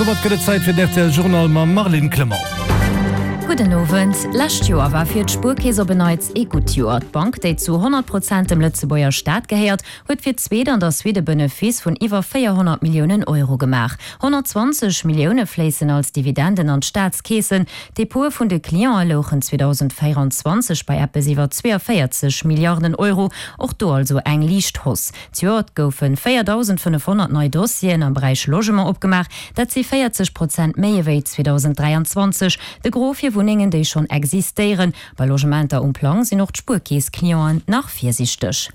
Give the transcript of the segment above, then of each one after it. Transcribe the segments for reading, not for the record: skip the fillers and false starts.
An domat gëtt et Zäit fir den rtl Journal mam Marlene Clement. Gudden Owend. Lescht Joer war fir d'Spuerkeess op en Neits ee gutt Joer. D'Bank, déi zu 100 Prozent dem Lëtzebuerger Staat gehéiert, huet fir d'zweet an der Suite e Benefice vun iwwer 400 Milliounen Euro gemaach. 120 Millioune fléissen als Dividenden an d'Staatskeesen. D'Depote vun de Cliente louchen 2024 bei eppes iwwer 42 Milliarden Euro, och do also eng liicht Hausse. Zejoert goufe 4.500 nei Dossieren am Beräich Logement opgemaach, dat si 40 Prozent méi ewéi 2023. De Gros fir Wunnengen, déi schonn existéieren. Bei Logementer um Plang sinn och d'Spuerkeess-Clienten nach virsiichteg.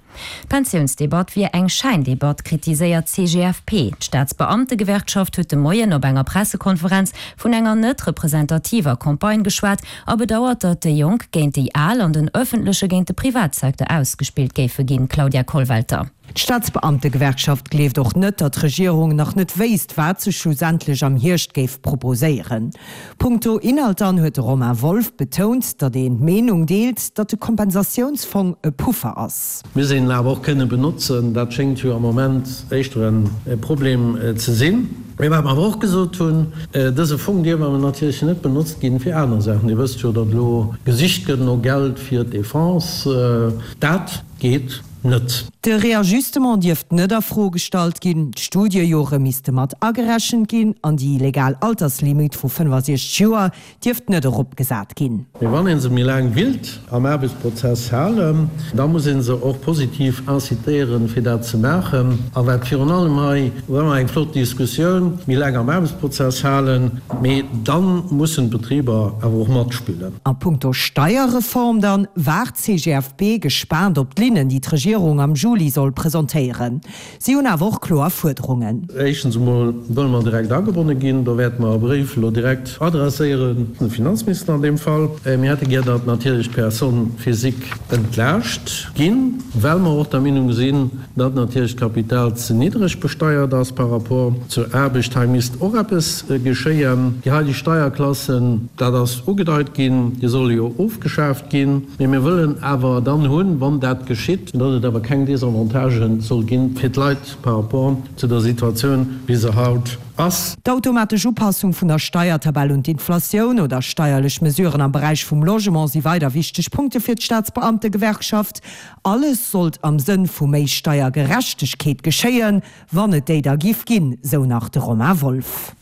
D'Pensiounsdebatt wier eng Schäindebatt, kritiséiert d'CGFP. D'Staatsbeamtegewerkschaft huet de Moien op enger Pressekonferenz vun enger net representativer Campagne geschwat a bedauert, datt déi Jonk géint déi Al an den ëffentleche géint de Privatsecteur ausgespillt géife ginn. Claudia Kollwelter. D'Staatsbeamtegewerkschaft gleeft och net, datt d'Regierung nach net wéisst, wat se schlussendlech am Hierscht géif proposéieren. Punkto Inhalt dann huet de Romain Wolff betount, datt een d'Meenung deelt, datt de Kompensatiounsfong e Puffer ass. Muss een en awer och kënne benotzen. Dat schéngt jo am Moment éischter e Problem ze sinn. Mee wat mer awer och gesot hunn, Dëse Fong dierf awer natierlech net benotzt ginn fir aner Saachen. Dir wësst jo, datt elo gesicht gëtt no Geld fir d'Defense. Dat geet net. De Réajustement dierft net a Fro gestallt ginn, d'Studiejore misste mat agerechent ginn an déi legal Alterslimit vu 65 Joer dierft net eropgesat ginn. Mee wann ee se méi laang willt am Aarbechtsprozess halen, da muss ee se och positiv incitéieren, fir dat ze maachen. A wat virun allem hei, war ëmmer eng flott Diskussioun, méi laang am Aarbechtsprozess halen, mee da mussen d'Betriber awer och matspillen. A punkto Steierreform dann waart d'CGFP gespaant op d'Linnen, déi d'Regierung am Juli soll presentéieren. Si hunn awer och kloer Fuerderungen. Éischtens emol wëlle mer direkt agebonne ginn. Do wäerte mer e Bréif elo direkt adresséieren, de Finanzminister an deem Fall. Mir hätte gär, datt natierlech d'Personnes physiques entlaascht ginn, well mer och der Meenung sinn, datt natierlech d'Kapital ze niddreg besteiert ass par rapport zur Aarbecht. Hei misst och eppes geschéien. Déi heideg Steierklassen, dat ass ugedeit ginn, déi solle jo ofgeschaaft ginn. Mee mir wëllen awer dann hunn, wann dat geschitt, datt et awer keng Désavantagen soll gi fir d'Leit par rapport zu der Situatioun, wéi se haut ass. D'automatesch Upassung vun der Steiertabell un d'Inflatioun oder steierlech Mesuren am Beräich vum Logement si weider wichteg Punkte fir d'Staatsbeamtegewerkschaft. Alles sollt am Sënn vu méi Steiergerechtegkeet geschéien, wann et déi da giff ginn, sou nach de Romain Wolff.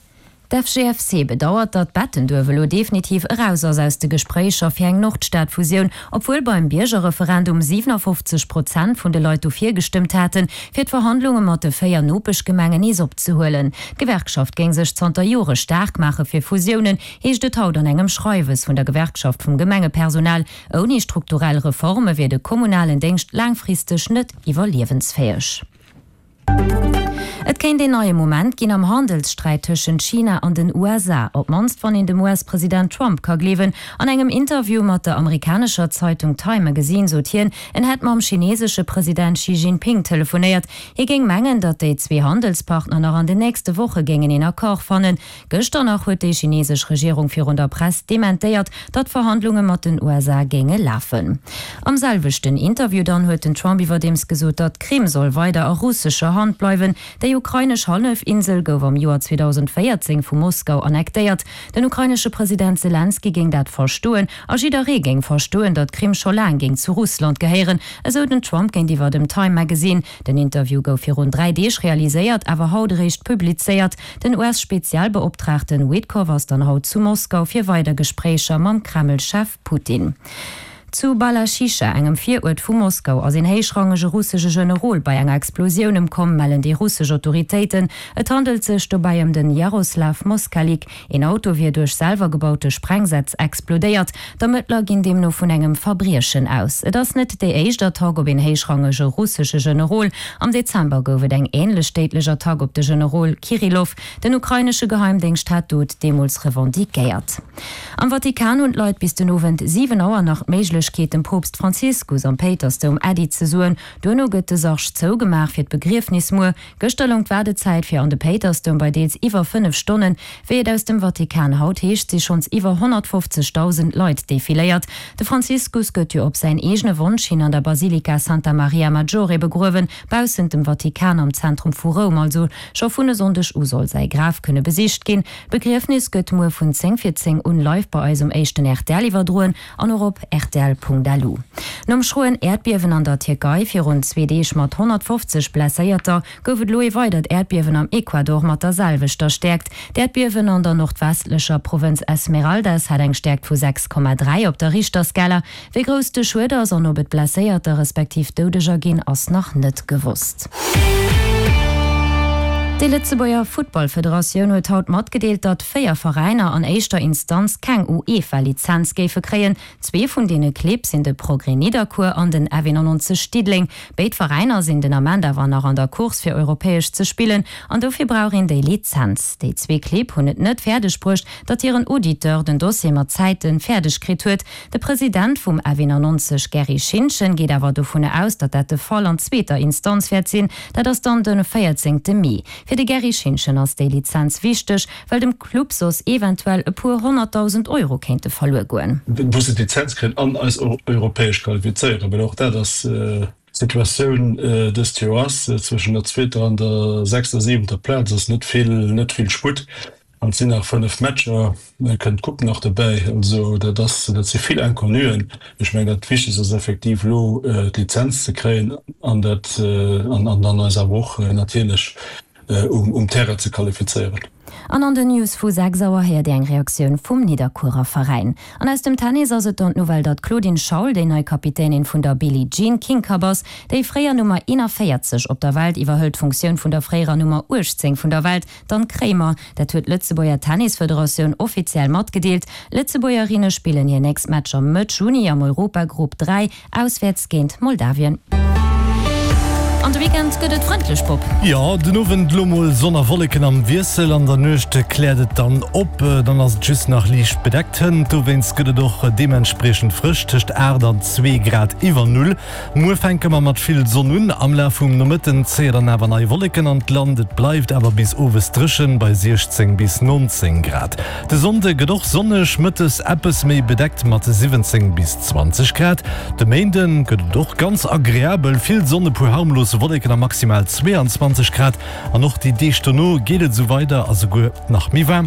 D'FGFC bedauert, datt Bettenduerf elo definitiv eraus ass aus de Gespréicher fir eng Nordstad-Fusioun, obwuel beim Biergerreferendum 57 Prozent vun de Leit dofir gestëmmt haten, fir d'Verhandlunge mat de 4 Nopeschgemengen nees opzehuelen. D'Gewerkschaft géing sech zanter Jore staark maache fir Fusiounen, heescht et haut an engem Schreiwes vun der Gewerkschaft vum Gemengepersonal. Ouni strukturell Reforme wier de kommunalen Déngscht laangfristeg net iwwerliewensfäeg. Et kéint een neie Moment ginn am Handelssträit tëschent China an den USA, op d'mannst wann een dem US-President Trump ka gleewen. An engem Interview mat der amerikanescher Zeitung Time Magazine sot hien, en hätt mam chinesesche President Xi Jinping telefonéiert. Hie géing mengen, datt déi zwee Handelspartner nach an den nächste Woche géingen een Accord fannen. Gëschter nach huet déi chinesesch Regierung virun der Press dementéiert, datt Verhandlunge mat den USA géinge lafen. Am selwechten Interview dann huet den Trump iwwerdeems gesot, datt d'Krim soll weider a russescher Hand bleiwen. Déi ukrainesch Hallefinsel gouf am Joer 2014 vu Moskau annektéiert. Den ukrainesche President Selenskyj géing dat verstoen a jidderee géing verstoen, datt d'Krim scho laang géing zu Russland gehéieren, esou den Trump géintiwwer dem Time Magazine. Den Interview gouf virun 3 Deeg realiséiert, awer haut eréischt publizéiert. Den US-Spezialbeoptraagten Witkoff ass dann haut zu Moskau fir weider Gespréicher mam Kreml-Chef Putin. Zu Balaschicha, engem Viruert vu Moskau, ass een héichrangege russesche Generol bei enger Explosioun ëmkomm, mellen déi russesch Autoritéiten. Et handelt sech dobäi ëm den Jaroslaw Moskalik. Een Auto wier duerch selwer gebaute Sprengsätz explodéiert. D'Ermëttler ginn deemno vun engem Verbriechen aus. Et ass net déi éischt Attack op een héichrangege russesche Generol. Am Dezember gouf et eng änlech déidlech Attack op de Generol Kirillov. Den ukrainesche Geheimdéngscht hat d'Dot deemools revendiquéiert. Am Vatikan hunn d'Leit bis den Owend 7 Auer nach d'Méiglechkeet. d'Méiglechkeet, dem Poopst Franziskus am Péitersdoum Äddi ze soen. Duerno gëtt de Sarg zougemaach fir d'Begriefnis muer. Gëschter loung d'Waardezäit fir an de Péitersdoum bei deels iwwer 5 Stonnen. Wéi et aus dem Vatikan haut heescht, si schonns iwwer 150.000 Leit defiléiert. De Franziskus gëtt jo op säin eegene Wonsch hin an der Basilika Santa Maria Maggiore begruewen, baussent dem Vatikan am Zentrum vu Roum. Also scho vun e Sonndeg u soll säi Graf kënne besicht ginn. D'Begriefnis gëtt muer vun 10 vir 10 un live bei eis um éischten rtl iwwerdroen an och op rtl.lu. Nom schroen Äerdbiewen an der Tierkei virun zwee Deeg mat 150 Blesséierter gouf et elo ee weidert Äerdbiewen am Ecuador mat der selwechter Stäerkt. D'Äerdbiewen an der nordwestlecher Provënz Esmeraldas hat eng Stäerkt vu 6,3 op der Richterskala. Wéi grouss de Schued ass an ob et Blesséierter respektiv Doudeger ginn, ass nach net gewosst. Déi Lëtzebuerger Futtballfederatioun huet haut matgedeelt, datt 4 Veräiner an éischter Instanz keng UEFA-Lizenz géife kréien. Zwee vun deene Clibb sinn de Progrès Nidderkuer an den F91 Diddeleng. Béid Veräiner sinn den Ament awer nach an der Course fir europäesch ze spillen an dofir brauch een déi Lizenz. Déi zwee Clibb hunn et net fäerdeg bruecht, datt hiren Auditeur den Dossier mat Zäite fäerdeg kritt huet. De President vum F91 Gerry Schintgen geet awer dovun aus, datt dat de Fall an zweeter Instanz wäert sinn. Dat ass dann de 14 Mee. Fir de Gerry Schintgen ass déi Lizenz wichteg, well dem Club soss eventuell e puer 100.000 Euro kéinte verluer goen. Wou se d'Lizenz kréien an eis europäesch qualifizéieren, well och dat ass d'Situatioun dëst Joer ass, zwëschen der zweeter an der sechster, siwenter Plaz ass net vill, net vill Sputt an et sinn nach 5 Matcher, da kënnt d'Coupe nach dobäi. Also dat ass, dat si vill Inconnuen. Ech mengen dat Wichtegst ass effektiv elo d'Lizenz ze kréien an dat an dann eis awer och natierlech um Terrain ze qualifizéieren. An an den News vu 6 Auer héiert Dir eng Reaktioun vum Nidderkuerer Veräin. An aus dem Tennis ass et dann d'Nouvelle, datt d'Claudine Schaul déi nei Kapitänin vun der Billie Jean King Cup ass. Déi fréier Nummer 41 op der Welt iwwerhëlt d'Funktioun vun der fréierer Nummer 18 vun der Welt, d'Anne Kremer. Dat huet d'Lëtzebuerger Tennisfederatioun offiziell matgedeelt. Lëtzebuergerinne spillen hir nächst Matcher Mëtt Juni am Europagrupp 3. Auswäerts géint Moldawien. An de Weekend gëtt et frëndlech, Bob. Jo, den Owend elo mol Sonn a Wolleken am Wiessel, an der Nuecht kläert et dann op, dann ass et just nach liicht bedeckt hënt. Dowéinst gëtt et och deementspriechend frësch, tëscht 8 an 2 Grad iwwer Null. Muer fänke mer mat vill Sonn un, am Laf vum Nomëtten zéie dann awer nei Wolleken an d'Land. Et bleift awer bis owes dréchen bei 16 bis 19 Grad. De Sonnde gëtt och sonneg, mëttes eppes méi bedeckt mat 17 bis 20 Grad. De Méinde gëtt et och ganz agreabel, vill Sonn, e puer harmlos Wolleken a maximal 22 Grad. An och déi Deeg dono geet et esou weider a souguer nach méi waarm.